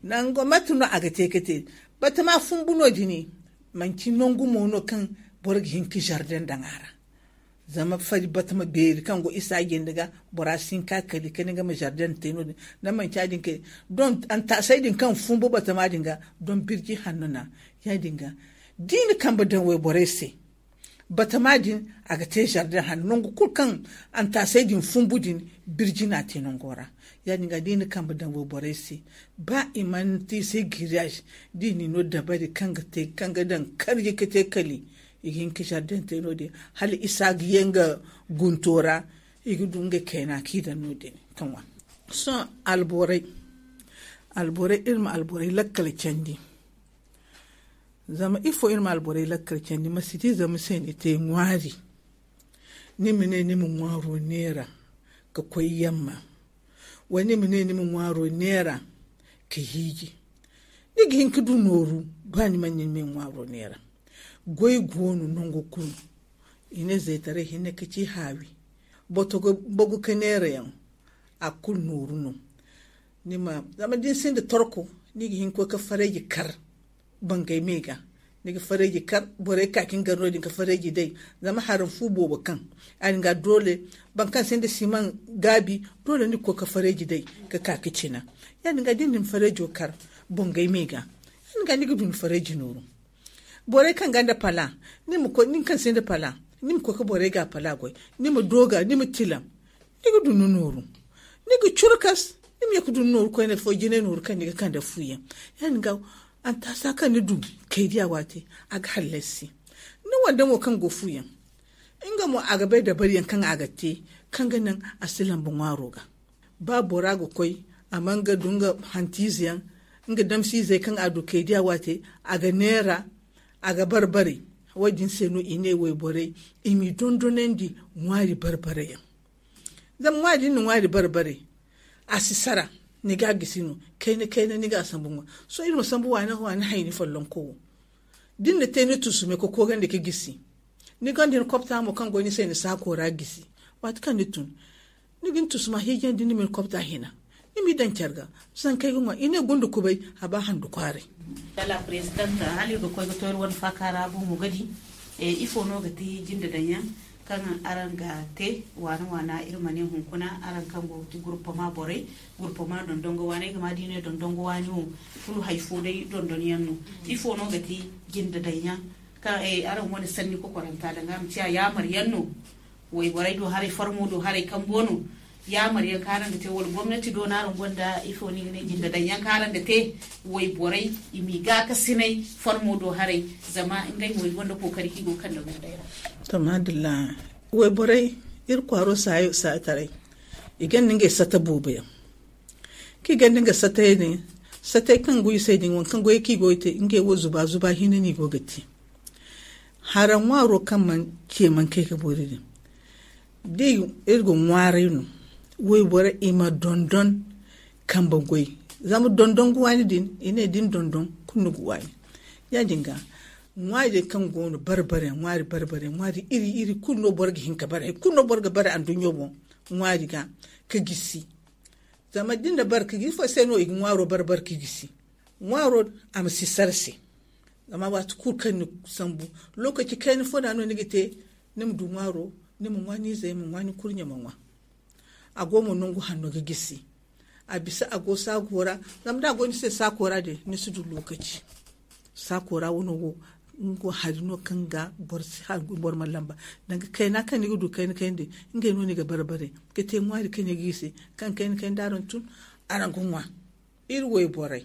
Nango mate no a ga te ka te batama fumbu no- dini. Manci nangu mo no kaŋ boro ga hin ka jardin daŋ a ra. Zama fari batama beeri kaŋ go isa jinde ga bora si hin ka kali kani ga ma jardin te no- din. Da manci a din kay don antasay din kaŋ fumbu batama din ga don birji hanno na ya- din ga. Di ni kambe daŋ wayborey se batama din a ga te jardin hanno nangu kulu kaŋ antasay din fumbu din. Birji na te nango ra ya- din ga di ni kambe daŋ wayborey se. Ba i mana te i se giriyaz di ni no dabari kaŋ ga te kaŋ ga daŋ karji ka te kali. I ga hin ka jardin te no- din hala isa ga ye nga gunto ra. I ga du nga kayna kaŋ i daŋ no- din ka ŋwa. Sohõ alborey alborey iri ma alborey lakkal candi. Zama ifo iri ma alborey lakkal candi ma si di zama se ni te ŋwaari. Ni ma ne ni ma ŋwaaro neera ka koy yamma. Wala ni ma ne ni ma ŋwaaro neera ka hiiji. Ni ga hin ka du nooru ba ni mana ni ma ŋwaaro neera. Goy go no nango kulu. I ne zaytaray hinne ka ci haawi. Boto ga bogu ka neera yaŋ. A kulu nooru no. Ni ma zama da ni sinda torko ni ga hin ka koy ka fareeji kar. Bangay me ga ni ga fareeji kar borey ka ka ni gar no- din ka fareeji day. Zama haram fu boobo kaŋ a din ga doole boro kaŋ sinda siman gaabi doole ni ga koy ka fareeji day ka ka ka cina. Ya- din ga da ni na ni fareejo kar bangay me ga ya- din ga ni ga du ni fareeji nooru. Borey kaŋ gonda pala ni ma koy nin kaŋ sinda pala ni ma koy ka borey ga pala goy. Ni ma dooga ni ma tilam. Ni ga du ni nooru ni ga curkas. Ni ma ye ka du ni nooru koyne fo jinay nooru kaŋ ni ga kande fuuyaŋ. Ya- din ga antasa kaŋ ni du kay diya waate a ga hallasi. Ni wande mo kaŋ go fuuyaŋ nga mo a ga bay dabariyaŋ kaŋ a ga te kaŋ ga naŋ a si lamba ŋwaaro ga. Ba bora ga koy a ma nga du nga hantiize yaŋ nga damsiizey kaŋ a du kay diya waate a ga neera. A ga barbare. Wo- din se no i ne wayborey i m'i dondonandi ŋwaari barbare yaŋ. Zama ŋwaari din na ŋwaari barbare a si sara. Ni ga gisi no kayna kayna ni ga sambu ŋwa. Sohõ iri ma sambu waani waani hayni follonko wo. Da ni na te ni tusume ka koogandi ka gisi ni gonda ni kopta mo kaŋ go ni se ni saako ra gisi. Waati kaŋ ni tun ni ga ni tusuma hiijandi ni ma ni kopta hina. Ni m'i daŋ care ga zankey ga ŋwa i ne gunda kubay a ba handu kwaaray. Dala president hala iri ga koy ga to iri wane faaka ra boŋo ga di. Ifo no ga ti jinde daŋyaŋ kaŋ araŋ ga te waana waana iri ma ne hunkuna araŋ kaŋ go ga ti gurpama borey gurpama dondongo waaney ga ma da i ne dondongo waani wo kulu hari fo day dondonyaŋ no. Ifo no ga ti jinde daŋyaŋ kaŋ araŋ wane sanni kokoranta danga a ma ciya yaamaryaŋ no? Wayborey do haray farmo do haray kambo no. Yaamaryaŋ kaŋ araŋ ga te wala gomnati do no araŋ gonda ifo no i ga ne jinde daŋyaŋ kaŋ araŋ ga te wayborey i m'i gaakasinay farmo do haray zama ngey mo i gonda kookari kaŋ i go ga kande gundey ra. To maadalla wayborey iri kwaaro saayo saataray i gonda ngey sata boobo yaŋ. Kaŋ i gonda nga satay din satay kaŋ go i se din waŋ kaŋ goyey kaŋ i go ga te ngey wo zuba zuba hinne no i go ga te. Hara ŋwaaro kaŋ mana ce mana kay ga boori din da iri ga ŋwaaray no. Wayborey i ma dondon kambe goy zama dondon ga waani din i ne da ni dondon kulu ni ga waani. Ya- din ga ŋwaari din kaŋ go no barbare ŋwaari barbare ŋwaari iri iri kulu no boro ga hin ka bare hari kulu no boro ga bare anduɲɲo boŋ. ŋwaari ga ka gisi. Zama da ni na bare ka gisi ifo se no i ga ŋwaaro bare bare ka gisi? Ŋwaaro a ma si sara se. Zama waati kulu kaŋ ni sambu, lokaci kayna fo da no ni ga te. Ni ma du ŋwaaro, ni ma ŋwa ni izey ma ŋwa ni kurɲe ma ŋwa. A go mo nangu hanno ga gisi. A bisa a go saago ra. Zama da a go ni se saako ra din ni si du lokaci. Saako ra wano wo nga hari no kaŋ ga boro ma lamba. Danga kayna kaŋ ni ga du kayna kayna din ngey no ni ga bare bare ga te ŋwaari kaŋ ni ga i se. Kaŋ kayna kayna da araŋ tun, araŋ ga ŋwa. Iri wayborey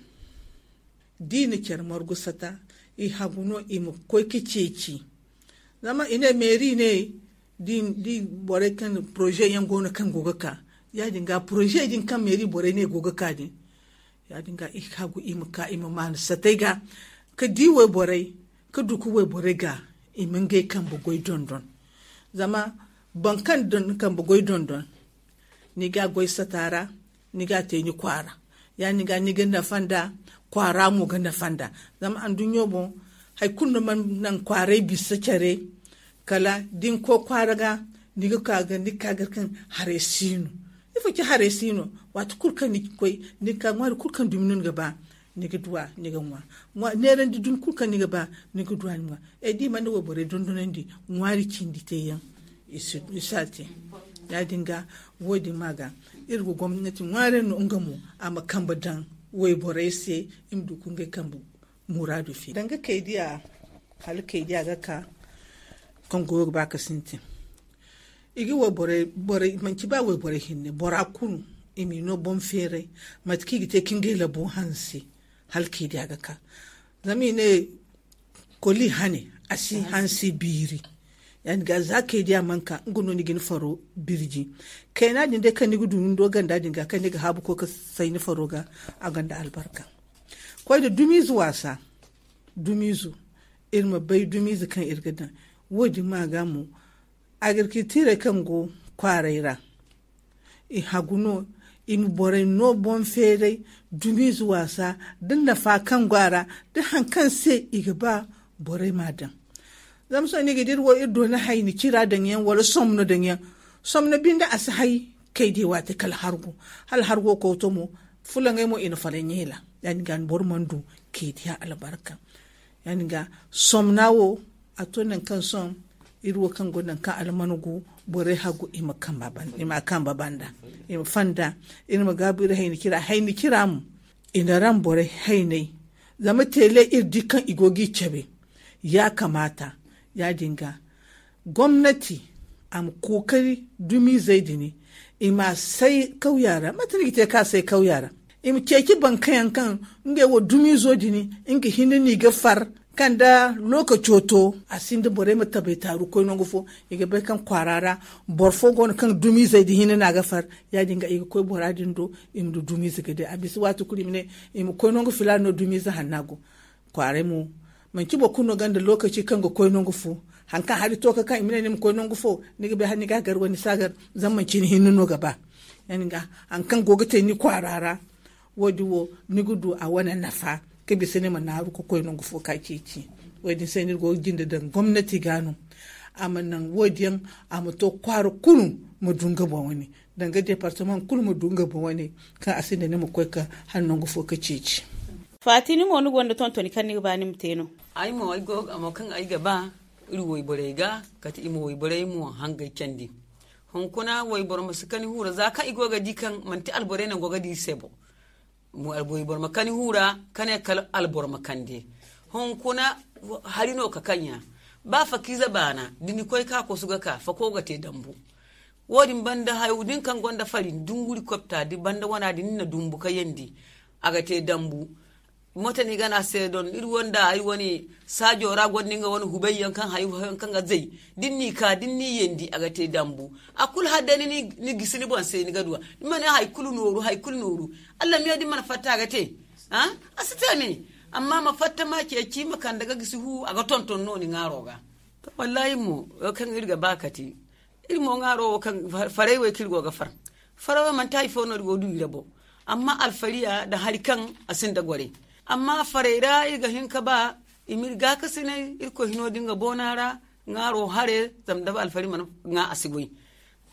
da i na care margu sata, i hagu no i ma koy ka ceeci. Zama i ne meeri ne da i borey kaŋ poroze yaŋ go no kaŋ go ga ka. Ya- din ga poroze din kaŋ meeri borey ne go ga ka din, ya- din ga i hagu i ma ka i ma maanu satey ga ka di wayborey, ka du ka wayborey ga i ma ngey kambe goy dondon. Zama boro kaŋ na kambe goy dondon, ni ga a goy sata ra, ni ga a te ni kwaara. Ya- din ga ni ga nafa nd'a, kwaara mo ga nafa nd'a. Zama anduɲɲo boŋ, hari kulu no mana naŋ kwaaray bisa care. Kala da ni koy kwaara ga, ni ga ka ga ni ga ka ga kaŋ haray si no. Ifo ci haray si no? Waati kulu kaŋ ni ga koy, ni ga ka ŋwaari kulu kaŋ dumi no ni ga ba, ni ga du a ni ga ŋwa. Neerandi dumi kulu kaŋ ni ga ba, ni ga du a ni ga ŋwa. Ay da i mana wayborey dondonandi ŋwaari cindi te yaŋ, i si a te. Ya- din ga, wo- din ma ga iri ga gomnati ŋwaari no nga mo a ma kambe daŋ wayborey se, i ma du ka ngey kambe muraadu fi danga kay diya. Hala kay diya ga ka kaŋ goyo ga ba ka sintin. I ga wayborey borey manci ba wayborey hinne bora kulu, i m'i no boŋ feeray mate kaŋ i ga te ka ngey labo hanse. Hala kay diya ga ka. Zama i ne koli hane, a si hansi biiri. Ya- din ga za kay diya mana ka nga no ni ga ni faro birji. Kayna din day kaŋ ni ga du ni do ganda din ga kaŋ ni ga haabu koy ka say ni faro ga, a gonda albarka. Koy da dumiize waasa. Dumiizo, iri ma bay dumiize kaŋ iri ga daŋ. Wo- din ma ga mo, agirkiltiirey kaŋ go kwaaray ra, i hagu no, i ma borey no boŋ feeray dumiize waasa, da nafa kaŋ go a ra, da hari kaŋ se i ga ba borey m'a daŋ. Zama sohõ ni ga di iri wo iri doona hayni cira daŋ yaŋ wala somno daŋ yaŋ. Somno binde a si hay kay di waati kala hargo. Hala hargo kawto mo, fulaŋey mo i na fala ɲeela. Ya- din ga ni boro mana du kay diya albarka. Ya- din ga somna wo, a to nangu kaŋ sohõ iri wo kaŋ go nangu kaŋ almana gu, borey hagu i ma kamba banda, i ma fanda. Iri ma gaabu iri hayni cira hayni cira mo, i na raŋ borey haynay. Zama teele iri di kaŋ i go ga i cabe. Ya kamaata. Ya- din ga gomnati a ma kookari dumiizey din, i m'a say kawya ra mate no i ga te ka say kawya ra. I ma ceeci bankayaŋ kaŋ ngey wo dumiizo din nga hinne no i ga far. Kaŋ da lookaco to a sinda borey ma tabay taaru koy nangu fo. I ga bay kaŋ kwaara ra boro fo go no kaŋ dumiizey din hinne no a ga far. Ya- din ga i ga koy bora din do, i ma du dumiize ga day a bisa waati kulu i ma ne i ma koy nangu filaana no dumiize hanna go. Kwaaray mo, manci boro kulu no gonda lookaci kaŋ ga koy nangu fo. Hari kaŋ hari to ka kaŋ i ma ne ni ma koy nangu fo, ni ga bay hala ni ga a gar wala ni si a gar. Zama manci ni hinne no ga ba. Hari kaŋ go ga te ni kwaara ra, wo- din wo ni ga du a wane nafa ka bisa ni ma naaru ka koy nangu fo ka ceeci. Wo- din se no iri go ga jinde daŋ gomnati ga no, a ma naŋ wo- din yaŋ, a ma to kwaara kulu ma du nga boŋ wane, danga departamaŋ kulu ma du nga boŋ wane, kaŋ a sinda ni ma koy ka hala nangu fo ka ceeci. Faati ni mo ni gonda tontoni kaŋ ni ga ba ni ma te no? Ay mo ay go ga mo kaŋ ay ga ba iri wayborey ga, kate i ma wayborey mo hangey candi. Hunkuna wayboro ma si kani huura za kaŋ i go ga di kaŋ manti alborey no go ga di iri se bo. Wayboro ma kani huura ka ne kala alboro ma kande. Hunkuna hari no ka kaŋ ya. Ba fakiize baana da ni koy ka kosu ga ka fako ga te dambu. Wo- din banda hayo din kaŋ gonda fari dunguri kopta da banda wana din ni na dumbu ka yandi, a ga te dambu. Moto ni gana se don iri wanda iri wane saajo ra gonda nga wane hubay yaŋ kaŋ hayo hayo kaŋ ga zay. Da ni n'i ka da ni n'i yandi a ga te dambu. A kulu hala day ni gisi ni boŋ se ni ga duw'a. Ni ma ne hari kulu nooru hari kulu nooru. Allamiyo da ni mana fatta a ga te. A si te me. Amma ma fatta ma ceeci ma kande ga gisi hu a ga tonton no ni ŋaaro ga. Wallaahi mo wo kaŋ iri ga ba kate. Iri mo ŋaaro wo kaŋ faray wo kaŋ iri go ga far. Faray wo manti hari fo no iri go du iri ra bo. Amma alfariya nda hari kaŋ a sinda goray. Amma faray ra iri ga hin ka ba i ma iri gaakasinay irkoy hino da nga boona ra. Ŋaaro hare zama da alfari mana ŋwa a si goy.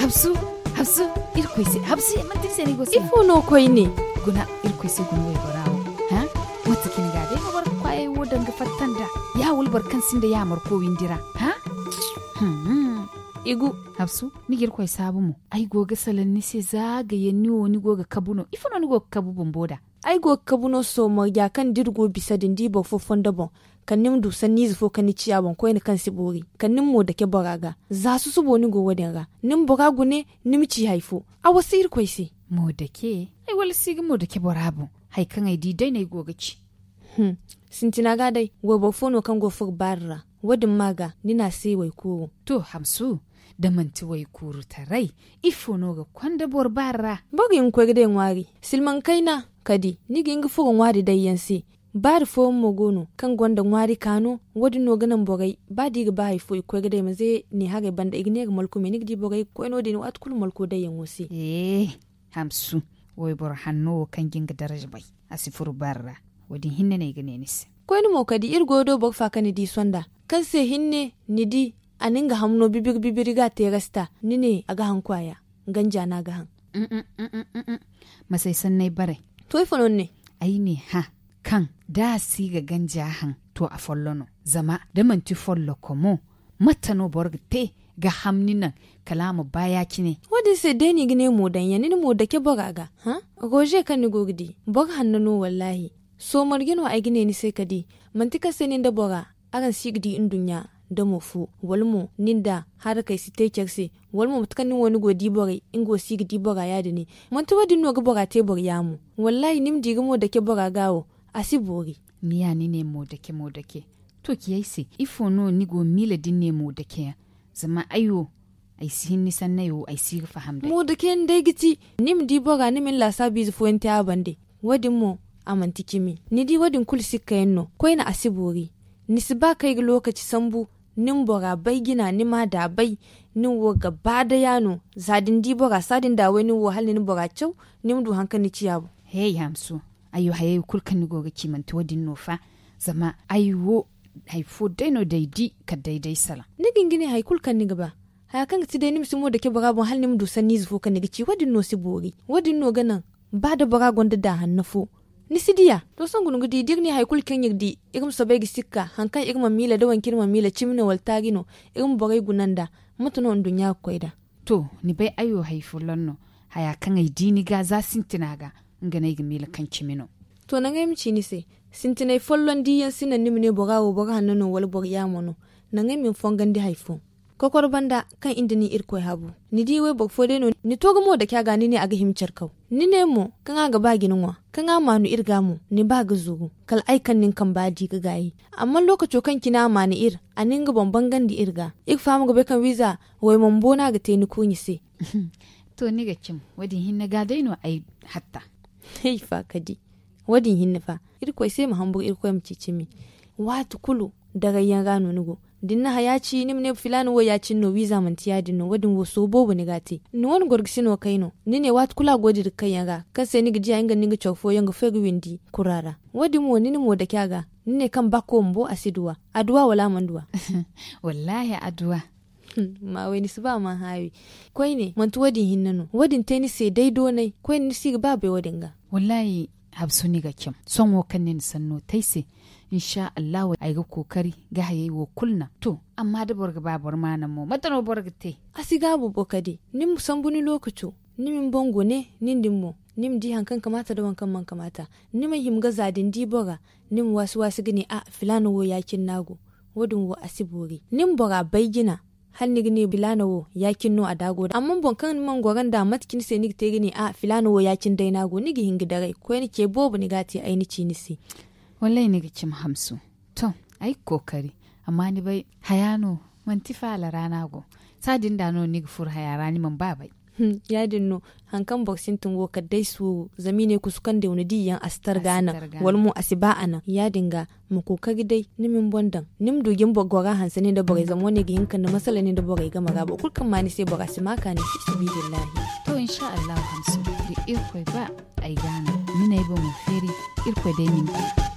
Habsu, habsu, irkoy se habsu, manti ni se ni go se ifo no koyne? Guna, irkoy se guna waybora wo. Ha? Mate cine ga day no boro ga kwaayey wo danga fatta nda? Ya wala boro kaŋ sinda yaamarko windi ra? Ha? Igu, habsu, ni ga irkoy saabu mo. Ay go ga salaŋ ni se za ga yaŋ ni wo ni go ga kabu no ifo no ni go ga kabu bumbo da? Ay go ga kabu no sohõ marja kaŋ da iri go bisa din da i boro fo fondo boŋ, kala ni ma du sanniize fo kaŋ ni ciya boŋ koyne kaŋ si boori, kala ni ma mo dake bora ga. Za susubo ni go wo- din ra, ni ma bora gune, ni ma ci hari fo. A wasa irkoy se. Mo dake? Ay wala si ga mo dake bora boŋ. Hari kaŋ ay di day no ay go ga ci. Sintina ga day wayboro fo no kaŋ go ga furo baari ra. Wo- din ma ga ni ne a se waykuuru. To, hamsu, da manti waykuuru taray, ifo no ga konda boro baari ra? Boro ga hin ga koy ga day ŋwaari silmaŋ kayna. Kadi ni ga hin ga furo ŋwaari day yaŋ se. Baari fooyaŋ mo go no kaŋ gonda ŋwaari kaano. Wo- din no ga naŋ borey ba da i ga ba hari fo i ga koy ga day ma ze ne haray banda i ga ne ga malku me ni ga di borey ga koy no- din waati kulu malko day yaŋo se. Hamsu, wayboro hanno wo kaŋ ga hin ga daraja bay, a si furo baari ra. Wo- din hinne no ay ga ne ni se. Koyne mo kadi iri go ga do boro fa kaŋ ni di sonda, kaŋ se hinne ni di a na nga hamno bibiri bibiri ga a te rasta ni ne a ga haŋ kwaaya. Ganja no a ga haŋ. Masay sanney baray. To ifo no ni ne? Ay ne hã, kaŋ da a si ga ganja haŋ, to a follo no. Zama da manti folloko mo, mate no boro ga te ga ham ni naŋ kala a ma ba ya- cine? Wo- din se day no i ga ne mo daŋ yaŋ ni na mo dake bora ga. Hã? Roze kaŋ ni go ga di boro hanno no wallaahi. Soomarje no ay ga ne ni se ka di. Manti kaŋ se nin da bora araŋ si ga di nduɲɲa damo fo, wala mo nin da harakey si te care se, wala mo mate kaŋ nin wo ni go ga di borey nga wo si ga di bora ya- din. Manti wo- din no ga bora te boro yaamo? Wallaahi ni ma di ga mo dake bora ga wo, a si boori. Ni ya ni ne mo dake mo dake. To ci ay se, ifo no ni go ga miila da ni ne mo dake yaŋ? Zama ay wo, ay si hin ni sanney wo, ay si ga faham day. Mo dake yaŋ day ga ti ni ma di bora ni ma ni laasaabu ize fooyaŋ te a bande. Wo- din mo, a manti cimi. Ni di wo- din kulu sikka yaŋ no koyne a si boori. Ni si ba kaŋ ay ga lookaci sambu. Ni ma bora bay jina ni ma a da bay. Nin wo ga ba day a no za da ni di bora saadin da way nin wo hala ni na bora caw, ni ma du hari kaŋ ni ciya boŋ. Hey, hamsu, ay wo hayey kulu kaŋ ni go ga ci manti wo- din no fa? Zama ay wo, hari fo day no day di kala day day salaŋ. Ni ga hin ga ne hari kulu kaŋ ni ga ba, haya kaŋ ga ti day ni ma si mo dake bora boŋ hala ni ma du sanniize fo kaŋ ni ga ci wo- din no si boori. Wo- din no ga naŋ ba da bora gonda da hanno fo, ni si diya. To sangu ni ga di da iri ne hari kulu kaŋ iri di, iri ma soobay ga sikka hari kaŋ iri mana miila da waŋ kaŋ iri mana miila cimi no wala taari no, iri ma borey guna nd'a. Mate no nduɲɲa ga koy nd'a? To, ni bay ay wo hari folloŋ no. Haya kaŋ ay di ni ga za sintina ga, nga no ay ga miila kaŋ cimi no. To naŋ ay ma ci ni se, sintinay folloŋ di yaŋ si naŋ ni ma ne bora wo boro hanno no wala boro yaamo no. Naŋ ay ma ni fongandi hari fo. Kokoro banda kaŋ iri nda ni irkoy habu, ni di wayboro fo day no ni to ga mo dake a ga ni ne a ga hima care kaw. Ni ne mo kaŋ a ga ba ga ni ŋwa, kaŋ a maanu iri ga mo ni ba ga zuru. Kala ay kaŋ nin kamba di ga gaayi. Amma lookaco kaŋ cine a maanu iri, a na nga boŋ bangandi iri ga. Iri faham ga bay kaŋ wiiza wayman bo no a ga te ni kuuɲi se. To ni ga cim, wo- din hinne ga day no ay hatta. Ay fa ka di. Wo- din hinne fa, irkoy se ma hamburu irkoy ma ci cimi. Waati kulu daray yaŋ ra no ni go. Da ni na haya ci ni ma ne filaana wo ya- cine no wiiza manti ya- din no wo- din wo sooru boobo ni ga a te. Ni wane gorgisi no kay no ni ne waati kulu a go dira kayyaŋ ra, kaŋ se ni ga diya nga nda ni ga care fooyaŋ ga fay ga windi kura ra. Wo- din mo ni na mo dake a ga, ni ne kaŋ ba koy bumbo a si duw'a. A duw'a wala a mana duw'a? Wallaahi a duw'a. Ma way ni si ba a mana haawi. Koyne manti wo- din hinne no wo- din te ni se day doonay. Koyne ni si ga ba bay wo- din ga. Wallaahi, habsu ni ga cam sohõ kaŋ ni na sanno te ay se. Insa allahu ay ga kookari ga hayey wo kulu naŋ. To, amma da boro ga ba boro ma naŋ mo mate no boro ga te? A si gaabu bo kadi ni ma sambu ni lookaco, ni ma ni boŋ gune nin din mo, ni ma di hari kaŋ kamaata nda waŋ kaŋ mana kamaata. Ni ma hima ga za da ni di bora, ni ma waasi waasi ga ne a filaana wo ya- cine no a go. Wo- din wo a si boori ni ma bora bay jina. Hala ni ga ne filaana wo ya- cine no a daago da amma boro kaŋ ni mana goro nd'a mate cine se ni ga te ga ne a filaana wo ya- cine day no a go ni ga hin ga daray koyne ce boobo ni ga a te ay na ci ni se. Wallaahi ni ga cimi hamsu. To, ay ga kookari. Amma ni bay haya no, manti faala ra no a go. Saadin da no ni ga furo haya ra ni mana ba bay. Ya- din no. Hari kaŋ boro sintin wo kala day suuru zama i ne kusu kaŋ day wane di yaŋ a si targa naŋ, wala mo a si ba a naŋ ya- din ga. Ma kookari day ni ma ni boŋ daŋ, ni ma du jin boro gora hanse nin da borey zama wane ga hin ga kande masala nin da borey game ra boro kulu kaŋ ma ni se bora si ma a kaani fi sabiilillahi. To insa allahu hamsu, da irkoy ba, ay ga a naŋ ni n'ay boŋo feeri. Irkoy day ma ni te.